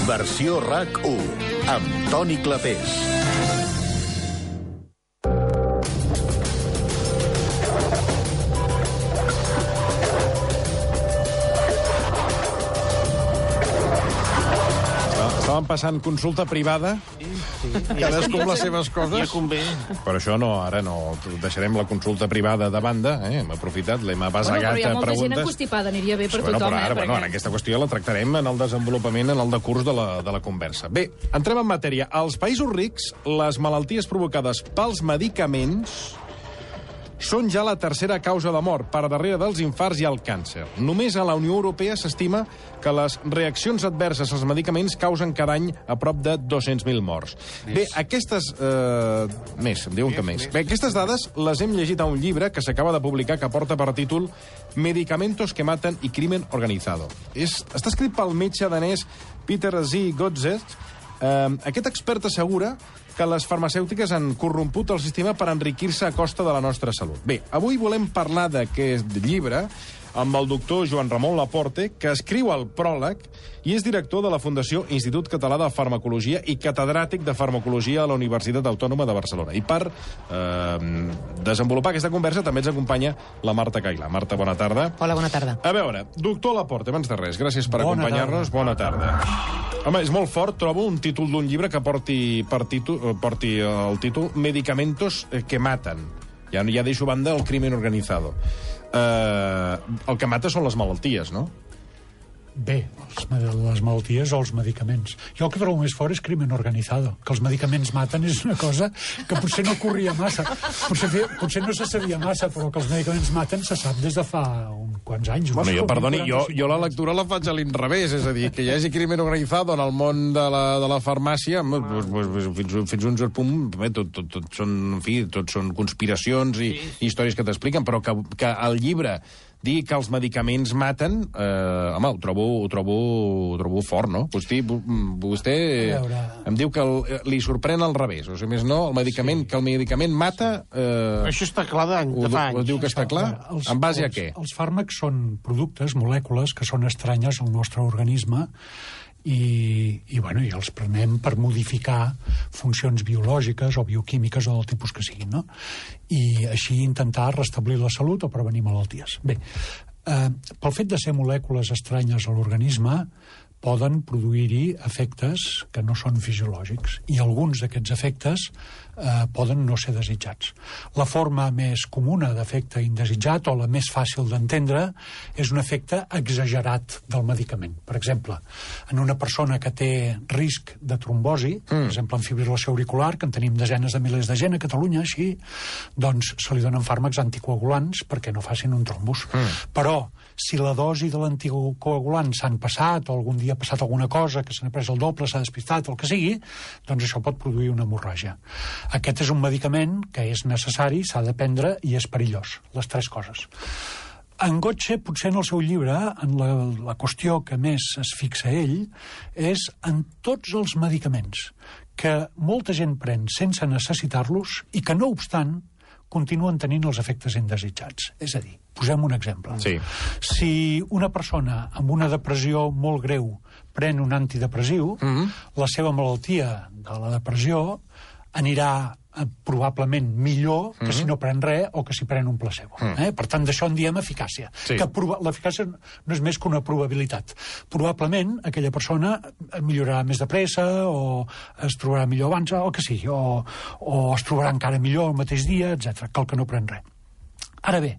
Versió RAC1, amb Toni Clapés. Estàvem passant consulta privada, cadascú amb les seves coses. Ja convé. Però això no, ara no. Deixarem la consulta privada de banda, hem aprofitat, l'hem abasegat a però hi ha molta gent preguntes. encostipada, aniria bé per Bueno, tothom. però ara, perquè... aquesta qüestió la tractarem en el desenvolupament, en el decurs de la conversa. Bé, entrem en matèria. Als països rics, les malalties provocades pels medicaments són ja la tercera causa de mort, per darrere dels infarts i el càncer. Només a la Unió Europea s'estima que les reaccions adverses als medicaments causen cada any a prop de 200.000 morts. Bé, aquestes... Més, em diuen que més. Bé, aquestes dades les hem llegit a un llibre que s'acaba de publicar que porta per títol Medicamentos que maten i crimen organizado. Està escrit pel metge danès Peter Z. Godset. Aquest expert assegura que les farmacèutiques han corromput el sistema per enriquir-se a costa de la nostra salut. Bé, avui volem parlar d'aquest llibre amb el doctor Joan Ramon Laporte, que escriu el pròleg i és director de la Fundació Institut Català de Farmacologia i catedràtic de Farmacologia a la Universitat Autònoma de Barcelona. I per desenvolupar aquesta conversa també ens acompanya la Marta Cailà. Marta, bona tarda. Hola, bona tarda. A veure, doctor Laporte, abans de res, gràcies per acompanyar-nos. Bona tarda. Home, és molt fort, trobo, un títol d'un llibre que porti el títol Medicamentos que maten. Ja deixo a banda el crimen organizado. El que mata són les malalties, no? Bé, les malalties o els medicaments. Jo el que trobo més fort és crimen organizado. Que els medicaments maten és una cosa que potser no corria massa. Potser no se sabia massa, però que els medicaments maten se sap des de fa uns quants anys. Bueno, jo la lectura la faig a l'inrevés, és a dir, que hi hagi crimen organizado en el món de la farmàcia, fins a un cert punt, tot són conspiracions i històries que t'expliquen, però que el llibre digui que els medicaments maten, home, ho trobo fort, no? Vostè em diu que li sorprèn al revés. O sigui, més no, que el medicament mata... Això està clar de fa anys. Diu que està clar? En base a què? Els fàrmacs són productes, molècules, que són estranyes al nostre organisme i els prenem per modificar funcions biològiques o bioquímiques o del tipus que siguin, no? I així intentar restablir la salut o prevenir malalties. Bé, pel fet de ser molècules estranyes a l'organisme, poden produir-hi efectes que no són fisiològics, i alguns d'aquests efectes poden no ser desitjats. La forma més comuna d'efecte indesitjat, o la més fàcil d'entendre, és un efecte exagerat del medicament. Per exemple, en una persona que té risc de trombosi, per exemple, en fibrilació auricular, que en tenim desenes de milers de gent a Catalunya, així, doncs se li donen fàrmacs anticoagulants perquè no facin un trombus. Però, si la dosi de l'anticoagulant s'han passat, o algun dia ha passat alguna cosa, que s'ha pres el doble, s'ha despistat, el que sigui, doncs això pot produir una hemorràgia. Aquest és un medicament que és necessari, s'ha de prendre i és perillós, les tres coses. En Godse, potser en el seu llibre, en la qüestió que més es fixa ell, és en tots els medicaments que molta gent pren sense necessitar-los i que, no obstant, continuen tenint els efectes indesitjats. És a dir, posem un exemple. Sí. Si una persona amb una depressió molt greu pren un antidepressiu, la seva malaltia de la depressió anirà probablement millor que si no pren res o que si pren un placebo. Per tant, d'això en diem eficàcia. Sí. Que l'eficàcia no és més que una probabilitat. Probablement aquella persona millorarà més de pressa o es trobarà millor abans, o que sigui, o es trobarà encara millor el mateix dia, etc., que el que no pren res. Ara bé,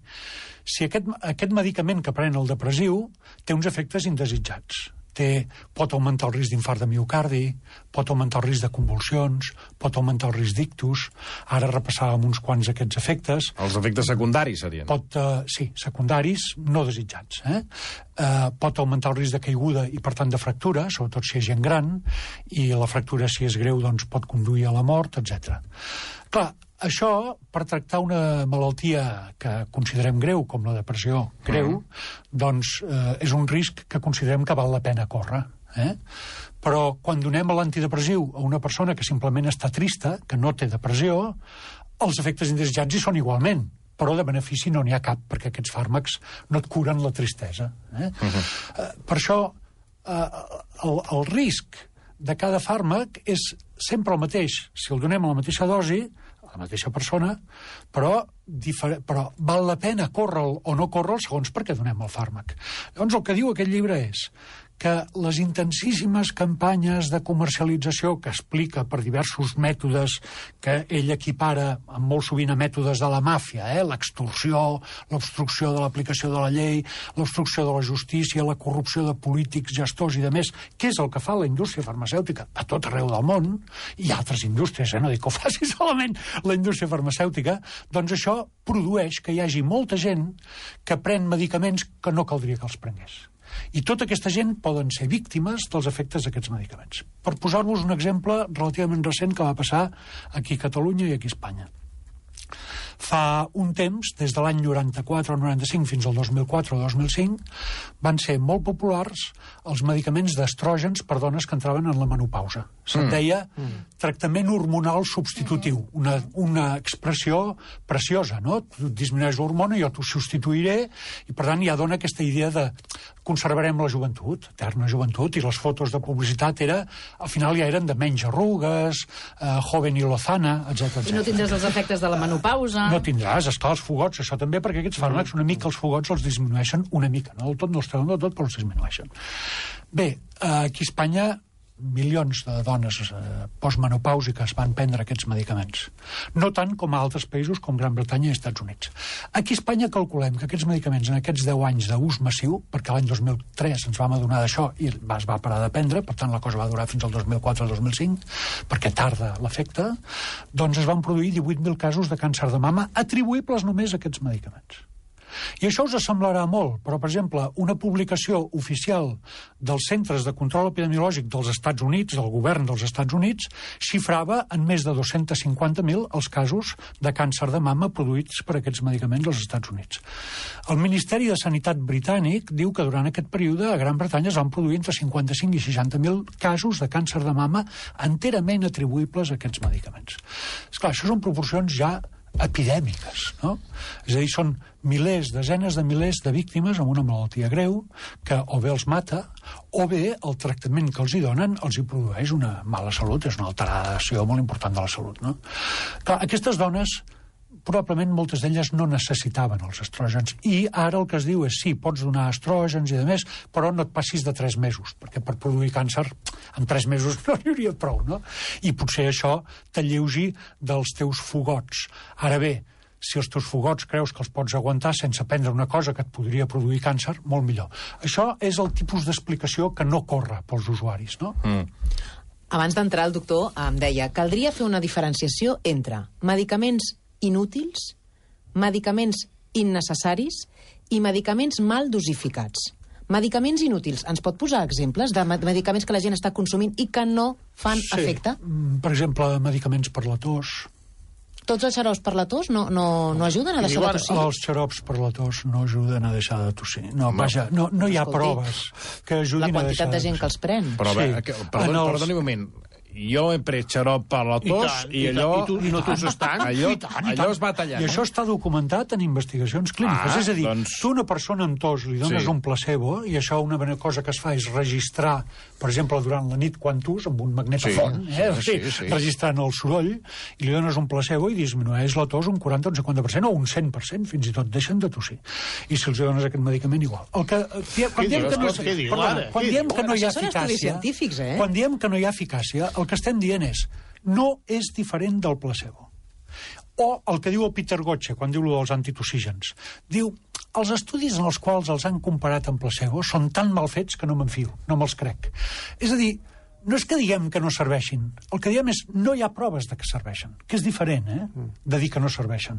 si aquest medicament que pren el depressiu té uns efectes indesitjats, pot augmentar el risc d'infart de miocardi, pot augmentar el risc de convulsions, pot augmentar el risc d'ictus. Ara repassàvem uns quants d'aquests efectes. Els efectes secundaris serien. Sí, secundaris no desitjats. Pot augmentar el risc de caiguda i, per tant, de fractura, sobretot si és gent gran, i la fractura, si és greu, doncs pot conduir a la mort, etc. Clar, això, per tractar una malaltia que considerem greu, com la depressió greu, doncs és un risc que considerem que val la pena córrer. Però quan donem l'antidepressiu a una persona que simplement està trista, que no té depressió, els efectes indesitjats hi són igualment, però de benefici no n'hi ha cap, perquè aquests fàrmacs no et curen la tristesa. Per això, el risc de cada fàrmac és sempre el mateix. Si el donem a la mateixa dosi, a la mateixa persona, però val la pena córrer o no córrer segons per què donem el fàrmac. Llavors, el que diu aquest llibre és que les intensíssimes campanyes de comercialització que explica per diversos mètodes que ell equipara molt sovint a mètodes de la màfia, l'extorsió, l'obstrucció de l'aplicació de la llei, l'obstrucció de la justícia, la corrupció de polítics, gestors i demés, que és el que fa la indústria farmacèutica a tot arreu del món, i altres indústries, no dic que ho faci solament la indústria farmacèutica, doncs això produeix que hi hagi molta gent que pren medicaments que no caldria que els prengués. I tota aquesta gent poden ser víctimes dels efectes d'aquests medicaments. Per posar-vos un exemple relativament recent que va passar aquí a Catalunya i aquí a Espanya. Fa un temps, des de l'any 94 o 95 fins al 2004 o 2005, van ser molt populars els medicaments d'estrògens per dones que entraven en la menopausa. Se'n deia tractament hormonal substitutiu, una expressió preciosa, no? Tu disminueix l'hormona, jo t'ho substituiré, i per tant ja dona aquesta idea de conservarem la joventut, eterna joventut, i les fotos de publicitat al final ja eren de menys arrugues, joven i lozana, etc. I no tindràs els efectes de la menopausa. No tindràs, esclar, els fogots, això també, perquè aquests fàrmacs una mica els fogots els disminueixen una mica, no del tot, no els treuen del tot, però els disminueixen. Bé, aquí a Espanya milions de dones postmenopàusiques van prendre aquests medicaments. No tant com a altres països com Gran Bretanya i Estats Units. Aquí a Espanya calculem que aquests medicaments en aquests 10 anys d'ús massiu, perquè l'any 2003 ens vam adonar d'això i es va parar de prendre, per tant la cosa va durar fins al 2004 o 2005, perquè tarda l'efecte, doncs es van produir 18.000 casos de càncer de mama atribuïbles només a aquests medicaments. I això us semblarà molt, però, per exemple, una publicació oficial dels Centres de Control Epidemiològic dels Estats Units, del govern dels Estats Units, xifrava en més de 250.000 els casos de càncer de mama produïts per aquests medicaments als Estats Units. El Ministeri de Sanitat britànic diu que durant aquest període a Gran Bretanya es van produir entre 55 i 60.000 casos de càncer de mama enterament atribuïbles a aquests medicaments. Esclar, això són proporcions ja epidèmiques, no? És a dir, són milers, desenes de milers de víctimes amb una malaltia greu que o bé els mata o bé el tractament que els hi donen els hi produeix una mala salut, és una alteració molt important de la salut, no? Clar, aquestes dones probablement moltes d'elles no necessitaven els estrògens i ara el que es diu és sí, pots donar estrògens i demés, però no et passis de 3 mesos, perquè per produir càncer en 3 mesos no n'hi hauria prou, no? I potser això t'alleugi dels teus fogots. Ara bé, si els teus fogots creus que els pots aguantar sense prendre una cosa que et podria produir càncer, molt millor. Això és el tipus d'explicació que no corre pels usuaris, no? Abans d'entrar el doctor em deia, caldria fer una diferenciació entre medicaments inútils, medicaments innecessaris i medicaments mal dosificats. Medicaments inútils. Ens pot posar exemples de medicaments que la gent està consumint i que no fan efecte? Per exemple, medicaments per la tos. Tots els xarops per la tos no ajuden a deixar de tossir? Els xarops per la tos no ajuden a deixar de tossir. No, vaja, no hi ha proves que ajudin a deixar de tossir. La quantitat de gent que els pren. Però a veure, perdoni un moment. Jo he pres xarop per la tos i allò... I no tosses tant? Allò es va tallant. I això està documentat en investigacions clíniques. És a dir, tu a una persona amb tos li dones un placebo i això una cosa que es fa és registrar, per exemple, durant la nit quan tus, amb un magnetofon, registrant el soroll, i li dones un placebo i disminueix la tos un 40 o un 50% o un 100%, fins i tot deixen de tossir. I si els dones aquest medicament, igual. Quan diem que no hi ha eficàcia, quan diem que no hi ha eficàcia, el que estem dient és no és diferent del placebo. O el que diu el Peter Gotche quan diu dels antitossígens. Diu, els estudis en els quals els han comparat amb placebo són tan mal fets que no me'n fio, no me'ls crec. És a dir, no és que diguem que no serveixin, el que diem és no hi ha proves de que serveixen, que és diferent, de dir que no serveixen.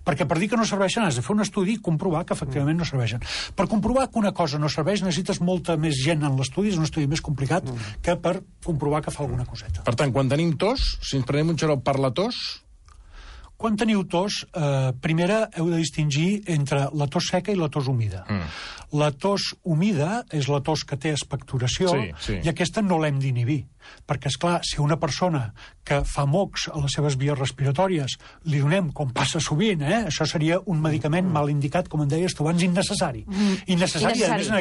Perquè per dir que no serveixen has de fer un estudi i comprovar que efectivament no serveixen. Per comprovar que una cosa no serveix necessites molta més gent en l'estudi, és un estudi més complicat que per comprovar que fa alguna coseta. Per tant, quan tenim tos, si ens prenem un xarop per la tos... Quan teniu tos, primera heu de distingir entre la tos seca i la tos humida. La tos humida és la tos que té expectoració i aquesta no l'hem d'inhibir. Perquè, esclar, si una persona que fa mocs a les seves vies respiratòries li donem, com passa sovint, això seria un medicament mal indicat, com en deies tu abans, innecessari. Innecessari, a més, en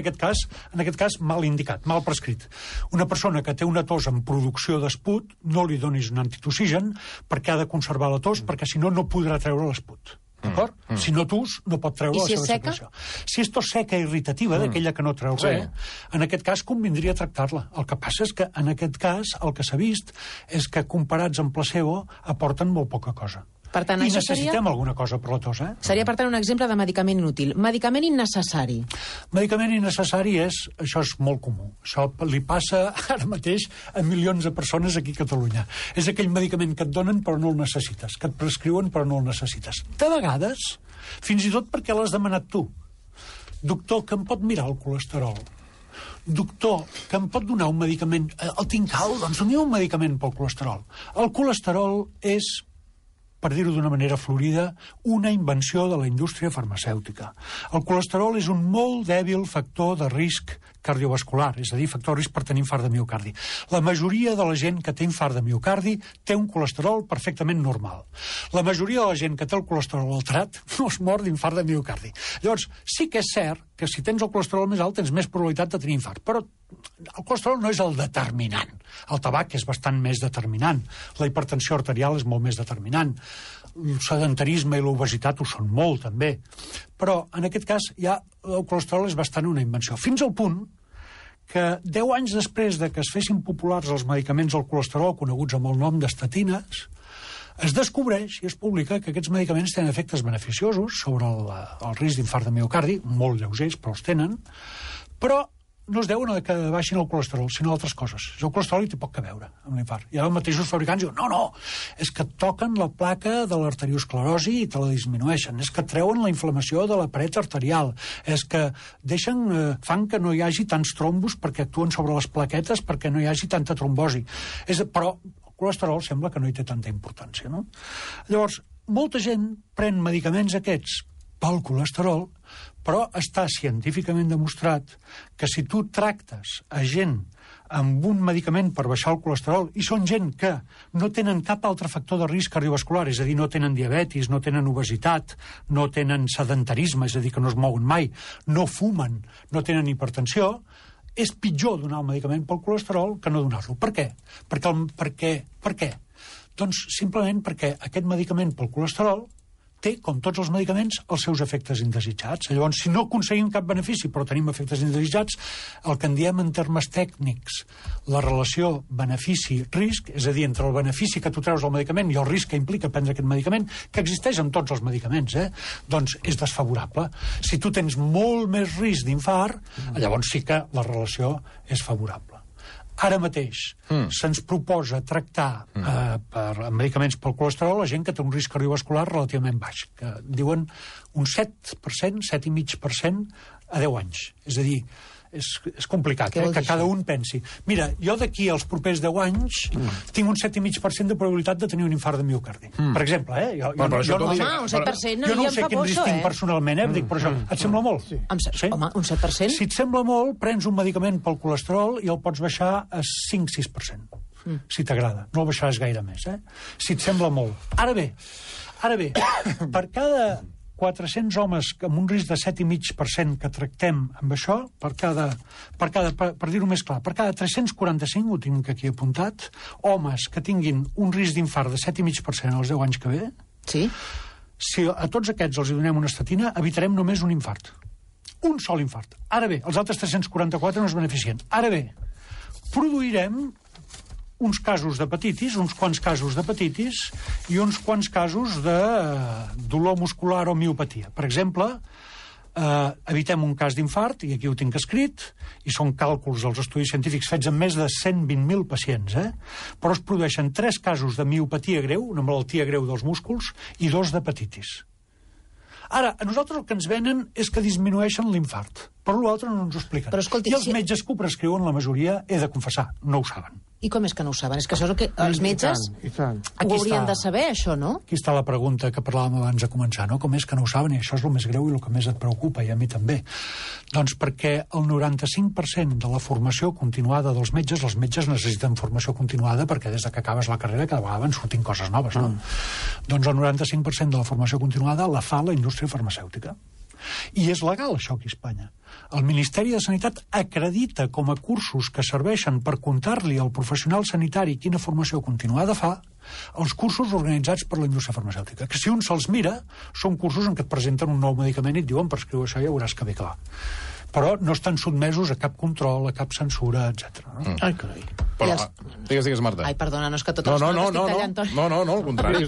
aquest cas, mal indicat, mal prescrit. Una persona que té una tos en producció d'esput, no li donis un antitoxigen perquè ha de conservar la tos, perquè si no, no podrà treure l'esput. D'acord? Si no tus, no pot treure la seva secreció. Si és tos seca irritativa, d'aquella que no treu res, en aquest cas convindria tractar-la. El que passa és que, en aquest cas, el que s'ha vist és que, comparats amb placebo, aporten molt poca cosa. Per tant, I necessitem alguna cosa per la tos, Seria, per tant, un exemple de medicament inútil. Medicament innecessari. Medicament innecessari això és molt comú. Això li passa ara mateix a milions de persones aquí a Catalunya. És aquell medicament que et donen però no el necessites, que et prescriuen però no el necessites. De vegades, fins i tot perquè l'has demanat tu. Doctor, que em pot mirar el colesterol? Doctor, que em pot donar un medicament? El tinc alt, doncs doni un medicament pel colesterol. El colesterol és, per dir-ho d'una manera florida, una invenció de la indústria farmacèutica. El colesterol és un molt dèbil factor de risc cardiovascular, és a dir, factor de risc per tenir infart de miocardi. La majoria de la gent que té infart de miocardi té un colesterol perfectament normal. La majoria de la gent que té el colesterol alterat no es mor d'infart de miocardi. Llavors, sí que és cert que si tens el colesterol més alt tens més probabilitat de tenir infart, però el colesterol no és el determinant. El tabac és bastant més determinant. La hipertensió arterial és molt més determinant. El sedentarisme i l'obesitat ho són molt, també. Però, en aquest cas, ja el colesterol és bastant una invenció. Fins al punt que 10 anys després de que es fessin populars els medicaments del colesterol, coneguts amb el nom d'estatines, es descobreix i es publica que aquests medicaments tenen efectes beneficiosos sobre el risc d'infart de miocardi, molt lleugers, però els tenen, però no es deuen a que baixin el colesterol, sinó a altres coses. El colesterol hi té poc a veure amb l'infart. I ara els mateixos fabricants diuen, no, és que toquen la placa de l'arteriosclerosi i te la disminueixen, és que treuen la inflamació de la paret arterial, és que fan que no hi hagi tants trombos perquè actuen sobre les plaquetes perquè no hi hagi tanta trombosi. Però el colesterol sembla que no hi té tanta importància, no? Llavors, molta gent pren medicaments aquests pel colesterol, però està científicament demostrat que si tu tractes a gent amb un medicament per baixar el colesterol, i són gent que no tenen cap altre factor de risc cardiovascular, és a dir, no tenen diabetis, no tenen obesitat, no tenen sedentarisme, és a dir, que no es mouen mai, no fumen, no tenen hipertensió, és pitjor donar el medicament pel colesterol que no donar-lo. Per què? Per què? Doncs simplement perquè aquest medicament pel colesterol té, com tots els medicaments, els seus efectes indesitjats. Llavors, si no aconseguim cap benefici, però tenim efectes indesitjats, el que en diem en termes tècnics, la relació benefici-risc, és a dir, entre el benefici que tu treus del medicament i el risc que implica prendre aquest medicament, que existeix en tots els medicaments, doncs és desfavorable. Si tu tens molt més risc d'infart, llavors sí que la relació és favorable. Ara mateix se'ns proposa tractar amb medicaments pel colesterol la gent que té un risc cardiovascular relativament baix, que diuen un 7%, 7,5% a 10 anys. És a dir, és complicat, que cada un pensi. Mira, jo d'aquí als propers 10 anys tinc un 7,5% de probabilitat de tenir un infart de miocardi. Per exemple, Jo no sé quin risc tinc personalment, dic, però això, et sembla molt? Home, un 7%? Si et sembla molt, prens un medicament pel colesterol i el pots baixar a 5-6%, si t'agrada. No el baixaràs gaire més, si et sembla molt. Ara bé, per cada 400 homes amb un risc de 7,5% que tractem amb això, per dir-ho més clar, per cada 345, ho tinc aquí apuntat, homes que tinguin un risc d'infart de 7,5% als 10 anys que ve, si a tots aquests els donem una estatina, evitarem només un infart. Un sol infart. Ara bé, els altres 344 no es beneficien. Ara bé, produirem uns casos d'hepatitis, uns quants casos d'hepatitis i uns quants casos de dolor muscular o miopatia. Per exemple, evitem un cas d'infart, i aquí ho tinc escrit, i són càlculs dels estudis científics fets amb més de 120.000 pacients, però es produeixen 3 casos de miopatia greu, una malaltia greu dels músculs, i 2 d'hepatitis. Ara, a nosaltres el que ens venen és que disminueixen l'infart, però l'altre no ens ho expliquen. I els metges que ho prescriuen, la majoria, he de confessar, no ho saben. I com és que no ho saben? És que això és el que els metges ho haurien de saber, això, no? Aquí està la pregunta que parlàvem abans de començar, no? Com és que no ho saben? I això és el més greu i el que més et preocupa, i a mi també. Doncs perquè el 95% de la formació continuada dels metges, els metges necessiten formació continuada perquè des que acabes la carrera cada vegada van sortint coses noves, no? Doncs el 95% de la formació continuada la fa la indústria farmacèutica. I és legal, això, aquí a Espanya. El Ministeri de Sanitat acredita com a cursos que serveixen per contar-li al professional sanitari quina formació continuada fa els cursos organitzats per la indústria farmacèutica, que si un se'ls mira, són cursos en què et presenten un nou medicament i et diuen per escriure això ja veuràs que ve clar. Però no estan sotmesos a cap control, a cap censura, etc. No? Ai, carai. Però, digues, Marta. Ai, perdona, no és que totes les coses estic tallant, Toni. No, al contrari.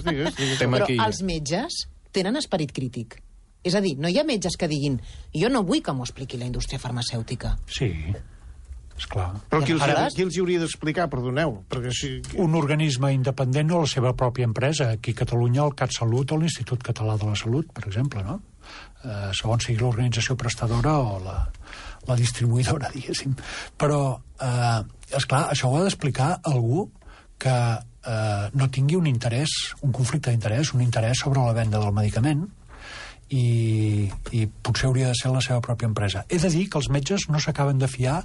Però els metges tenen esperit crític. És a dir, no hi ha metges que diguin jo no vull que m'ho expliqui la indústria farmacèutica. Sí, esclar. Però qui els hauria d'explicar, perdoneu? Perquè si... Un organisme independent o la seva pròpia empresa. Aquí a Catalunya el CatSalut o l'Institut Català de la Salut, per exemple, no? Segons sigui l'organització prestadora o la distribuïdora, diguéssim. Però, esclar, això ho ha d'explicar algú que no tingui un interès, un conflicte d'interès, un interès sobre la venda del medicament, i potser hauria de ser la seva pròpia empresa. He de dir que els metges no s'acaben de fiar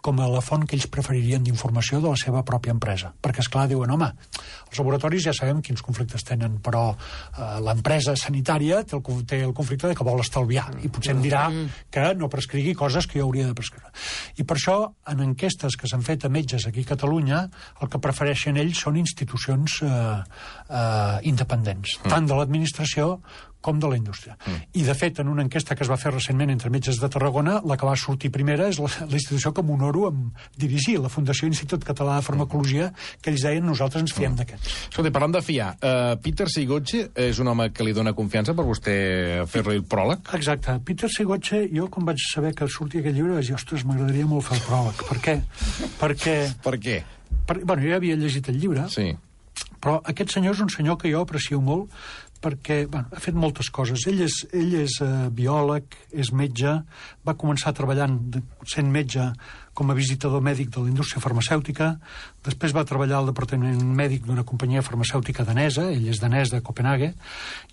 com a la font que ells preferirien d'informació de la seva pròpia empresa. Perquè, esclar, diuen, home, els laboratoris ja sabem quins conflictes tenen, però l'empresa sanitària té el conflicte de que vol estalviar i potser em dirà que no prescrigui coses que jo hauria de prescriure. I per això, en enquestes que s'han fet a metges aquí a Catalunya, el que prefereixen ells són institucions independents, tant de l'administració com de la indústria. I, de fet, en una enquesta que es va fer recentment entre metges de Tarragona, la que va sortir primera és la institució que m'honoro amb dirigir, la Fundació Institut Català de Farmacologia, que ells deien nosaltres ens fiem d'aquests. Escolta, parlant de fiar, Peter Sigotxe és un home que li dona confiança per vostè fer-li el pròleg? Exacte. Peter Sigotxe, jo quan vaig saber que sortia aquest llibre vaig dir, ostres, m'agradaria molt fer el pròleg. Per què? Per què? Bueno, jo ja havia llegit el llibre, sí. Però aquest senyor és un senyor que jo aprecio molt perquè ha fet moltes coses. Ell és biòleg, és metge, va començar treballant sent metge com a visitador mèdic de la indústria farmacèutica, després va treballar al departament mèdic d'una companyia farmacèutica danesa, ell és danès de Copenhague,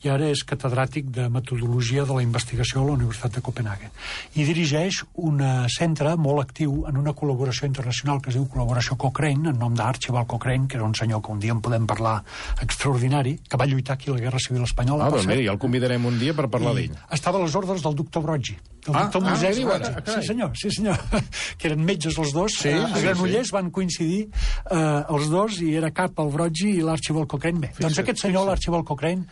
i ara és catedràtic de metodologia de la investigació a la Universitat de Copenhague. I dirigeix un centre molt actiu en una col·laboració internacional que es diu Col·laboració Cochrane, en nom d'Archibald Cochrane, que era un senyor que un dia en podem parlar extraordinari, que va lluitar aquí a la Guerra Civil Espanyola. Doncs mira, ja el convidarem un dia per parlar d'ell. Estava a les ordres del doctor Broggi, del doctor Museri. Sí, senyor. Que eren metges els dos. A Granollers van coincidir els dos i era cap el Broggi i l'Archibald Cochrane. Bé, doncs aquest senyor, l'Archibald Cochrane,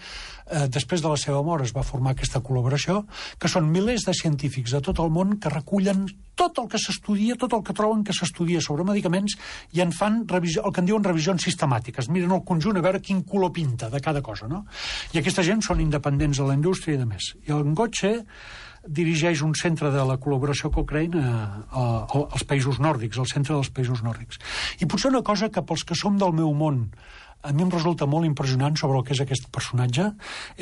després de la seva mort es va formar aquesta col·laboració, que són milers de científics de tot el món que recullen tot el que s'estudia, tot el que troben que s'estudia sobre medicaments i en fan el que en diuen revisions sistemàtiques. Miren el conjunt a veure quin color pinta de cada cosa, no? I aquesta gent són independents de la indústria i de més. I el Ngotxe dirigeix un centre de la col·laboració Cochrane als països nòrdics, al centre dels països nòrdics. I potser una cosa que pels que som del meu món a mi em resulta molt impressionant sobre el que és aquest personatge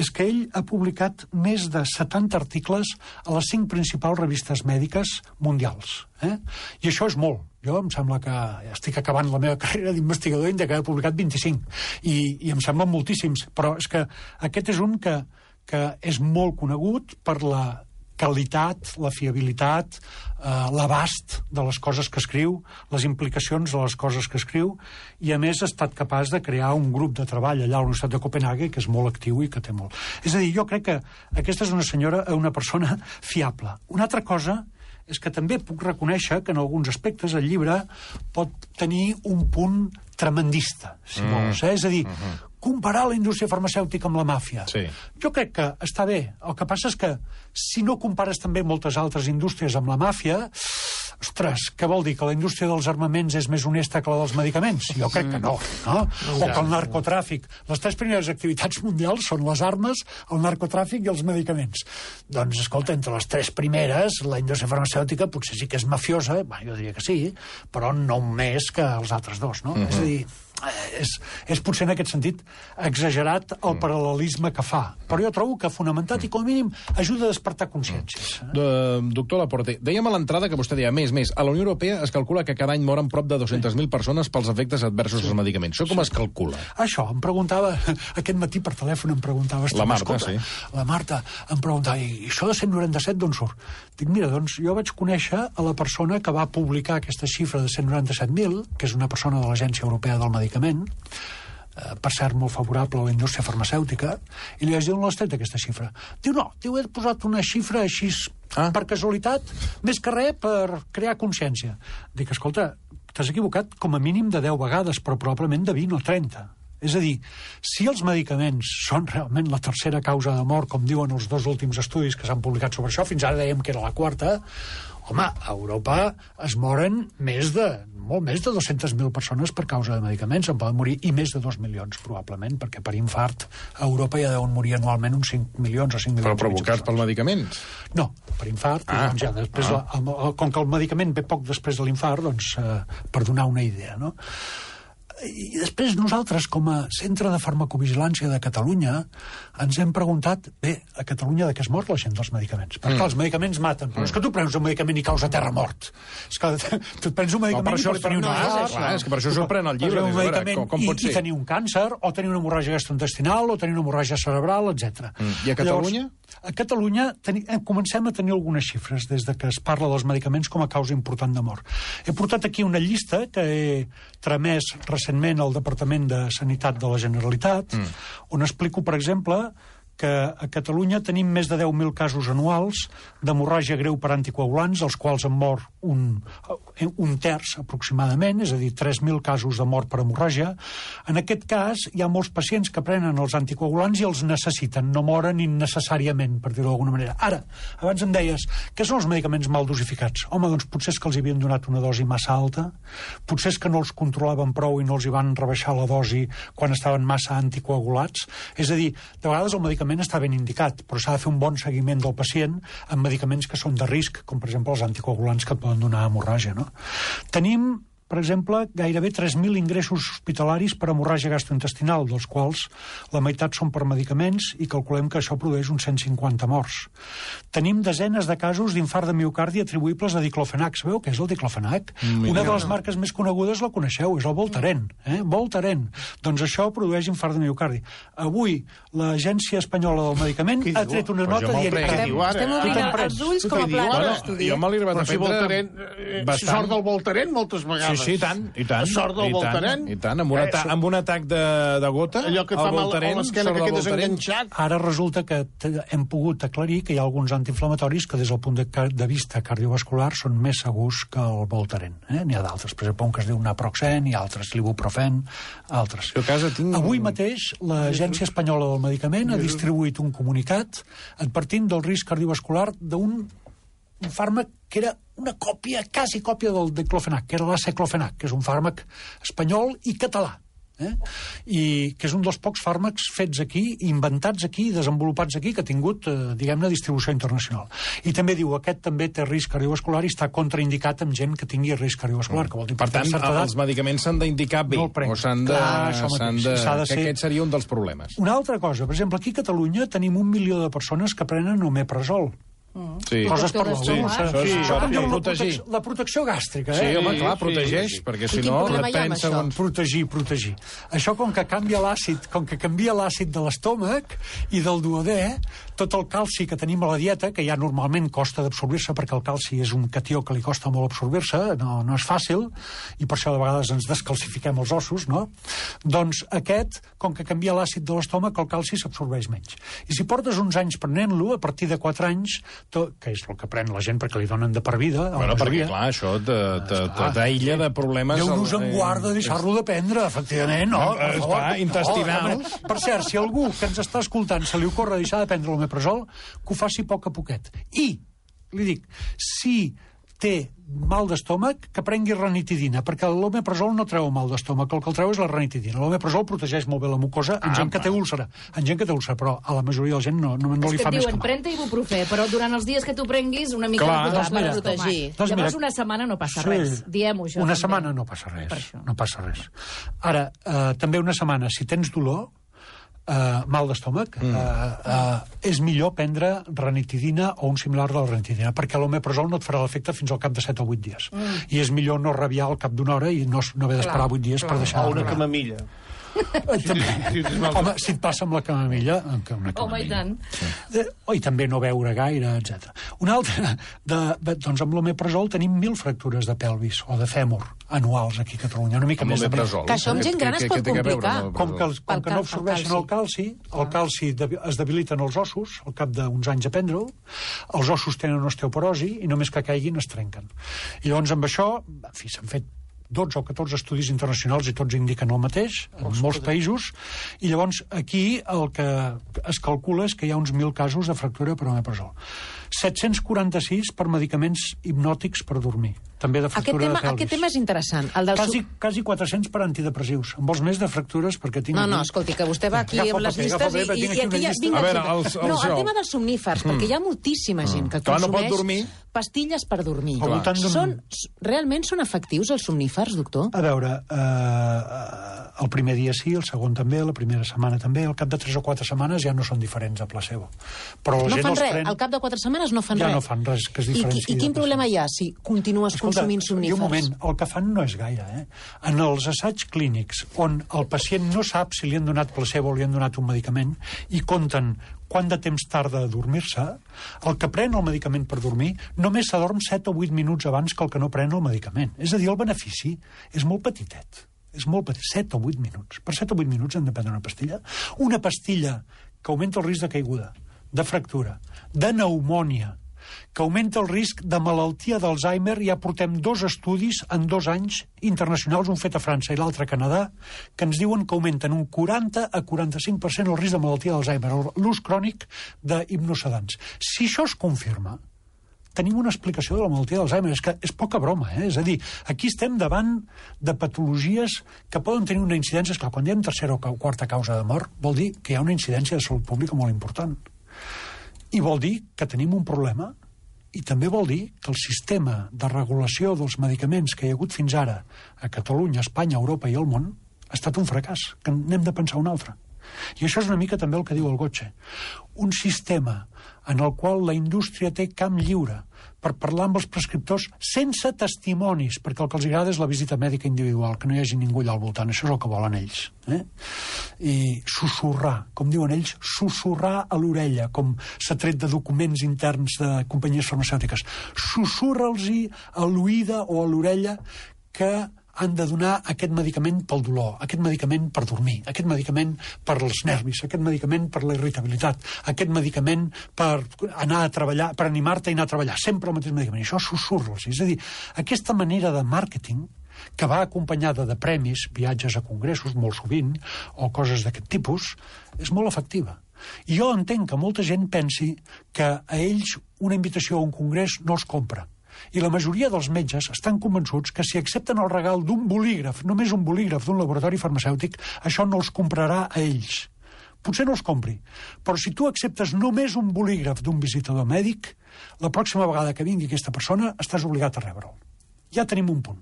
és que ell ha publicat més de 70 articles a les 5 principals revistes mèdiques mundials. I això és molt. Jo em sembla que estic acabant la meva carrera d'investigador i he publicat 25. I em semblen moltíssims. Però és que aquest és un que és molt conegut per la qualitat, la fiabilitat, l'abast de les coses que escriu, les implicacions de les coses que escriu, i a més ha estat capaç de crear un grup de treball allà a la Universitat de Copenhague que és molt actiu i que té molt. És a dir, jo crec que aquesta és una persona fiable. Una altra cosa és que també puc reconèixer que en alguns aspectes el llibre pot tenir un punt tremendista, si vols. És a dir, comparar la indústria farmacèutica amb la màfia. Sí. Jo crec que està bé. El que passa és que si no compares també moltes altres indústries amb la màfia, ostres, què vol dir? Que la indústria dels armaments és més honesta que la dels medicaments? Jo crec que no. O que el narcotràfic. Les 3 primeres activitats mundials són les armes, el narcotràfic i els medicaments. Doncs, escolta, entre les 3 primeres, la indústria farmacèutica potser sí que és mafiosa, jo diria que sí, però no més que els altres dos, no? És a dir, és potser en aquest sentit exagerat el paral·lelisme que fa. Però jo trobo que fonamentat i com a mínim ajuda a despertar consciències. Doctor Laporte, dèiem a l'entrada que vostè deia, més, a la Unió Europea es calcula que cada any moren prop de 200.000 persones pels efectes adversos dels medicaments. Això com es calcula? Això, em preguntava, aquest matí per telèfon em preguntava... La Marta, sí. La Marta em preguntava, i això de 197 d'on surt? Dic, mira, doncs jo vaig conèixer a la persona que va publicar aquesta xifra de 197.000, que és una persona de l'Agència Europea del Medicament, per cert, molt favorable a la indústria farmacèutica, i li vaig dir on l'has tret, aquesta xifra. Diu, no, he posat una xifra així per casualitat, més que res per crear consciència. Dic, escolta, t'has equivocat com a mínim de 10 vegades, però probablement de 20 o 30. És a dir, si els medicaments són realment la tercera causa de mort, com diuen els 2 últims estudis que s'han publicat sobre això, fins ara dèiem que era la quarta, home, a Europa es moren molt més de 200.000 persones per causa de medicaments, en poden morir, i més de 2 milions, probablement, perquè per infart a Europa ja deuen morir anualment uns 5 milions o 5 milions. Però provocats pels medicaments? No, per infart, doncs ja després, com que el medicament ve poc després de l'infart, doncs per donar una idea, no? I després nosaltres, com a Centre de Farmacovigilància de Catalunya, ens hem preguntat, bé, a Catalunya de què es mor la gent dels medicaments? Perquè els medicaments maten, però és que tu prens un medicament i causa terra mort. És que tu prens un medicament i pots tenir un és que per això sorprèn el llibre. Un medicament i tenir un càncer, o tenir una hemorràgia gastrointestinal, o tenir una hemorràgia cerebral, etc. I a Catalunya? A Catalunya comencem a tenir algunes xifres des de que es parla dels medicaments com a causa important de mort. He portat aquí una llista que he tramès recentment al Departament de Sanitat de la Generalitat, on explico, per exemple, que a Catalunya tenim més de 10.000 casos anuals d'hemorràgia greu per anticoagulants, els quals en mor un terç aproximadament, és a dir, 3.000 casos de mort per hemorràgia. En aquest cas, hi ha molts pacients que prenen els anticoagulants i els necessiten, no moren innecessàriament, per dir-ho d'alguna manera. Ara, abans em deies, què són els medicaments mal dosificats? Home, doncs potser és que els havien donat una dosi massa alta, potser és que no els controlaven prou i no els hi van rebaixar la dosi quan estaven massa anticoagulats. És a dir, de vegades el medicament està ben indicat, però s'ha de fer un bon seguiment del pacient amb medicaments que són de risc, com per exemple els anticoagulants que poden donar hemorràgia, no? Tenim, per exemple, gairebé 3.000 ingressos hospitalaris per hemorràgia gastrointestinal, dels quals la meitat són per medicaments i calculem que això produeix uns 150 morts. Tenim desenes de casos d'infart de miocardi atribuïbles a diclofenac. Sabeu què és el diclofenac? Una de les marques més conegudes la coneixeu, és el Voltaren. Voltaren. Doncs això produeix infart de miocardi. Avui, l'Agència Espanyola del Medicament ha tret una nota dient que... Estem obrint els ulls com a pla d'estudi. Jo me l'he arribat a prendre bastant. Sort del Voltaren moltes vegades. Sí, i tant. Sort del Voltaren. I tant, amb un atac de gota, allò que fa mal a l'esquena que quedes enganxat. Ara resulta que hem pogut aclarir que hi ha alguns antiinflamatoris que des del punt de vista cardiovascular són més segurs que el Voltaren. N'hi ha d'altres, per exemple, un que es diu naproxen, i altres, l'ibuprofen, altres. Avui mateix l'Agència Espanyola del Medicament ha distribuït un comunicat advertint del risc cardiovascular d'un fàrmac que era una còpia, quasi còpia del diclofenac, que era l'aceclofenac, que és un fàrmac espanyol i català, i que és un dels pocs fàrmacs fets aquí, inventats aquí, desenvolupats aquí, que ha tingut, diguem-ne, distribució internacional. I també diu, aquest també té risc cardiovascular i està contraindicat amb gent que tingui risc cardiovascular. Que vol dir, per tant, els medicaments s'han d'indicar bé, o s'han de... que aquest seria un dels problemes. Una altra cosa, per exemple, aquí a Catalunya tenim 1 milió de persones que prenen omeprazol. Sí. Coses per protegir. La protecció gàstrica, Sí, home, clar, protegeix, perquè si no depèn segons... Protegir. Això com que canvia l'àcid de l'estómac i del duodè, tot el calci que tenim a la dieta, que ja normalment costa d'absorbir-se, perquè el calci és un catió que li costa molt absorbir-se, no és fàcil, i per això de vegades ens descalcifiquem els ossos, no? Doncs aquest, com que canvia l'àcid de l'estómac, el calci s'absorbeix menys. I si portes uns anys prenent-lo, a partir de 4 anys, que és el que pren la gent perquè li donen de per vida... Bueno, perquè, clar, això t'aïlla de problemes... Déu-nos en guarda de deixar-lo de prendre, efectivament, no? Intestinals. Per cert, si algú que ens està escoltant se li ocorre deixar de prendre l'omeprazol, que ho faci a poc a poquet. I, li dic, si té mal d'estómac, que prengui ranitidina, perquè l'omeprazol no treu mal d'estómac, el que el treu és la ranitidina. L'omeprazol protegeix molt bé la mucosa en gent que té úlcera, però a la majoria de la gent no li fa més que mal. pren-te ibuprofè, però durant els dies que tu prenguis una mica de posar per protegir. Llavors una setmana no passa res, diem-ho això. Una setmana no passa res. Ara, també una setmana, si tens dolor, mal d'estómac, és millor prendre ranitidina o un similar de la ranitidina, perquè l'omeprazol no et farà l'efecte fins al cap de 7 o 8 dies. I és millor no rabiar al cap d'una hora i no haver d'esperar 8 dies per deixar... O una camamilla. Home, si et passa amb la camamilla, home, i tant. I també no beure gaire, etc. Una altra, doncs amb l'omeprazol tenim 1.000 fractures de pelvis o de fèmur anuals aquí a Catalunya, una mica més de més. Que això amb gent gran es pot complicar. Com que no absorbeixen el calci es debiliten els ossos al cap d'uns anys de prendre-ho, els ossos tenen osteoporosi i només que caiguin es trenquen. I llavors amb això, en fi, s'han fet 12 o 14 estudis internacionals i tots indiquen el mateix, en molts països, i llavors aquí el que es calcula és que hi ha uns 1.000 casos de fractura per omeprazol. 746 per medicaments hipnòtics per dormir, també de fractura de pelvis. Aquest tema és interessant. Quasi 400 per antidepressius. En vols més de fractures? Perquè tinc... No, escolti, que vostè va aquí amb les llistes i aquí ja... A veure, el tema dels somnífers, perquè hi ha moltíssima gent que consumeix pastilles per dormir. Realment són efectius els somnífers, doctor? A veure, el primer dia sí, el segon també, la primera setmana també, al cap de 3 o 4 setmanes ja no són diferents a placebo. Però no fan res, al cap de 4 setmanes no fan res. Ja no fan res que es diferenciï. I quin problema hi ha si continues consumint somnífers? I un moment, el que fan no és gaire, En els assaigs clínics on el pacient no sap si li han donat placebo o li han donat un medicament i compten quant de temps tarda a dormir-se, el que pren el medicament per dormir només s'adorm 7 o 8 minuts abans que el que no pren el medicament. És a dir, el benefici és molt petitet. És molt petit, 7 o 8 minuts. Per 7 o 8 minuts hem de prendre una pastilla. Una pastilla que augmenta el risc de caiguda, de fractura, de pneumònia, que augmenta el risc de malaltia d'Alzheimer. Ja portem 2 estudis en 2 anys internacionals, un fet a França i l'altre a Canadà, que ens diuen que augmenten un 40 a 45% el risc de malaltia d'Alzheimer, l'ús crònic d'hipnosedants. Si això es confirma, tenim una explicació de la malaltia d'Alzheimer. És que és poca broma, És a dir, aquí estem davant de patologies que poden tenir una incidència. Esclar, quan diem tercera o quarta causa de mort, vol dir que hi ha una incidència de salut pública molt important. I vol dir que tenim un problema, i també vol dir que el sistema de regulació dels medicaments que hi ha hagut fins ara a Catalunya, Espanya, Europa i el món ha estat un fracàs, que n'hem de pensar un altre. I això és una mica també el que diu el Gotche. Un sistema en el qual la indústria té camp lliure per parlar amb els prescriptors sense testimonis, perquè el que els agrada és la visita mèdica individual, que no hi hagi ningú allà al voltant. Això és el que volen ells. I sussurrar, com diuen ells, sussurrar a l'orella, com s'ha tret de documents interns de companyies farmacèutiques. Sussurra'ls-hi a l'oïda o a l'orella que han de donar aquest medicament pel dolor, aquest medicament per dormir, aquest medicament per als nervis, aquest medicament per la irritabilitat, aquest medicament per anar a treballar, per animar-te a anar a treballar, sempre el mateix medicament. Això sussurros. És a dir, aquesta manera de màrqueting que va acompanyada de premis, viatges a congressos, molt sovint, o coses d'aquest tipus, és molt efectiva. I jo entenc que molta gent pensi que a ells una invitació a un congrés no els compra. I la majoria dels metges estan convençuts que si accepten el regal d'un bolígraf, només un bolígraf d'un laboratori farmacèutic, això no els comprarà a ells. Potser no els compri, però si tu acceptes només un bolígraf d'un visitador mèdic, la pròxima vegada que vingui aquesta persona estàs obligat a rebre'l. Ja tenim un punt.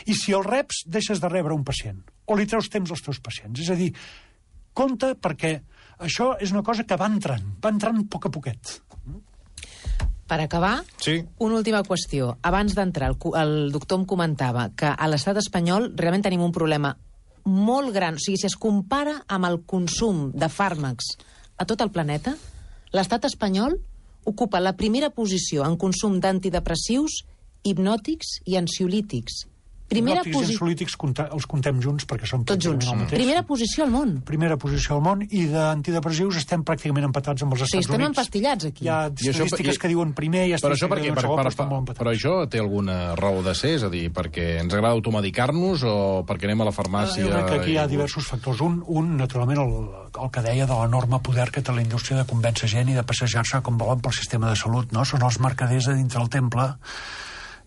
I si el reps, deixes de rebre un pacient, o li treus temps als teus pacients. És a dir, compte, perquè això és una cosa que va entrant a poc a poquet. Per acabar, una última qüestió. Abans d'entrar, el doctor em comentava que a l'estat espanyol realment tenim un problema molt gran. O sigui, si es compara amb el consum de fàrmacs a tot el planeta, l'estat espanyol ocupa la primera posició en consum d'antidepressius, hipnòtics i ansiolítics. Hipnòtics i ansiolítics els contem junts perquè són tots junts. Primera posició al món. Primera posició al món, i d'antidepressius estem pràcticament empatats amb els Estats Units. Estem empastillats aquí. Hi ha estadístiques que diuen primer i estadístiques que diuen segon, però estan molt empatats. Però això té alguna raó de ser? És a dir, perquè ens agrada automedicar-nos o perquè anem a la farmàcia? Jo crec que aquí hi ha diversos factors. Un naturalment, el que deia de l'enorme poder que té la indústria de convèncer gent i de passejar-se com volen pel sistema de salut, no? Són els mercaders a dintre del temple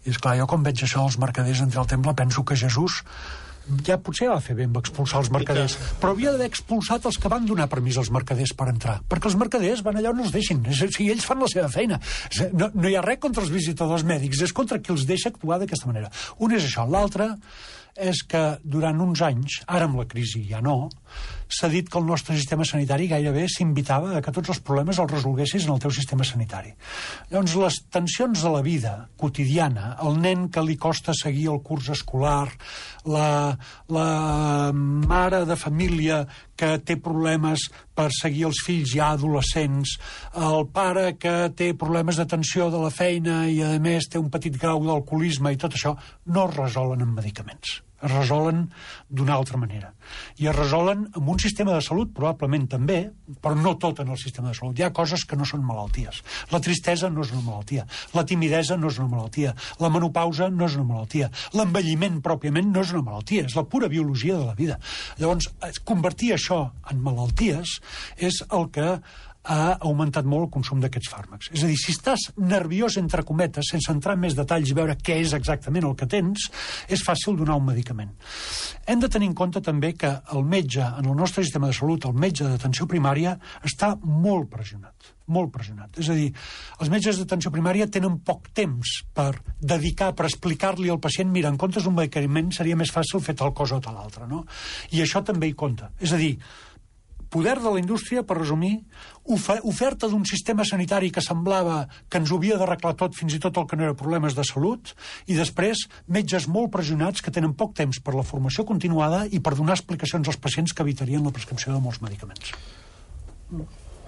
I esclar, jo quan veig això dels mercaders entrar al temple penso que Jesús ja potser va fer bé amb expulsar els mercaders, però havia d'haver expulsat els que van donar permís als mercaders per entrar, perquè els mercaders van allà on els deixin, o sigui, ells fan la seva feina. No hi ha res contra els visitadors mèdics, és contra qui els deixa actuar d'aquesta manera. Un és això, l'altre és que durant uns anys, ara amb la crisi ja no, s'ha dit que el nostre sistema sanitari gairebé s'invitava a que tots els problemes els resolguessis en el teu sistema sanitari. Llavors, les tensions de la vida quotidiana, el nen que li costa seguir el curs escolar, la mare de família que té problemes per seguir els fills ja adolescents, el pare que té problemes d'atenció de la feina i, a més, té un petit grau d'alcoholisme i tot això, no es resolen amb medicaments. Es resolen d'una altra manera. I es resolen amb un sistema de salut, probablement també, però no tot en el sistema de salut. Hi ha coses que no són malalties. La tristesa no és una malaltia. La timidesa no és una malaltia. La menopausa no és una malaltia. L'envelliment pròpiament no és una malaltia. És la pura biologia de la vida. Llavors, convertir això en malalties és el que ha augmentat molt el consum d'aquests fàrmacs. És a dir, si estàs nerviós, entre cometes, sense entrar en més detalls i veure què és exactament el que tens, és fàcil donar un medicament. Hem de tenir en compte també que el metge, en el nostre sistema de salut, el metge d'atenció primària, està molt pressionat. Molt pressionat. És a dir, els metges d'atenció primària tenen poc temps per dedicar, per explicar-li al pacient, mira, en comptes d'un medicament seria més fàcil fer tal cosa o tal altra, no? I això també hi compta. És a dir, poder de la indústria, per resumir, oferta d'un sistema sanitari que semblava que ens ho havia d'arreglar tot, fins i tot el que no era problemes de salut, i després metges molt pressionats que tenen poc temps per la formació continuada i per donar explicacions als pacients que evitarien la prescripció de molts medicaments.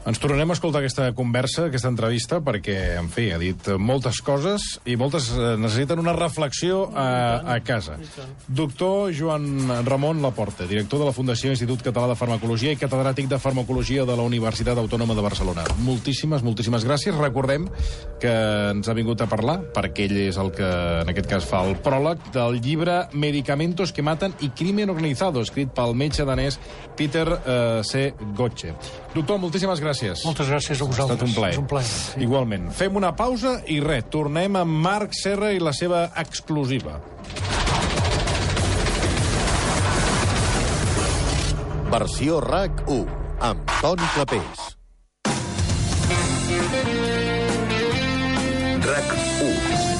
Ens tornarem a escoltar aquesta conversa, aquesta entrevista, perquè, en fi, ha dit moltes coses i moltes necessiten una reflexió a casa. Doctor Joan Ramon Laporte, director de la Fundació Institut Català de Farmacologia i catedràtic de Farmacologia de la Universitat Autònoma de Barcelona. Moltíssimes gràcies. Recordem que ens ha vingut a parlar, perquè ell és el que, en aquest cas, fa el pròleg del llibre Medicamentos que maten i crimen organizado, escrit pel metge danès Peter C. Gotche. Doctor, moltíssimes gràcies. Moltes gràcies a vosaltres. Ha estat un plaer. És un plaer, sí. Igualment. Fem una pausa i res, tornem amb Marc Serra i la seva exclusiva. Versió RAC 1, amb Toni Clapés. RAC 1.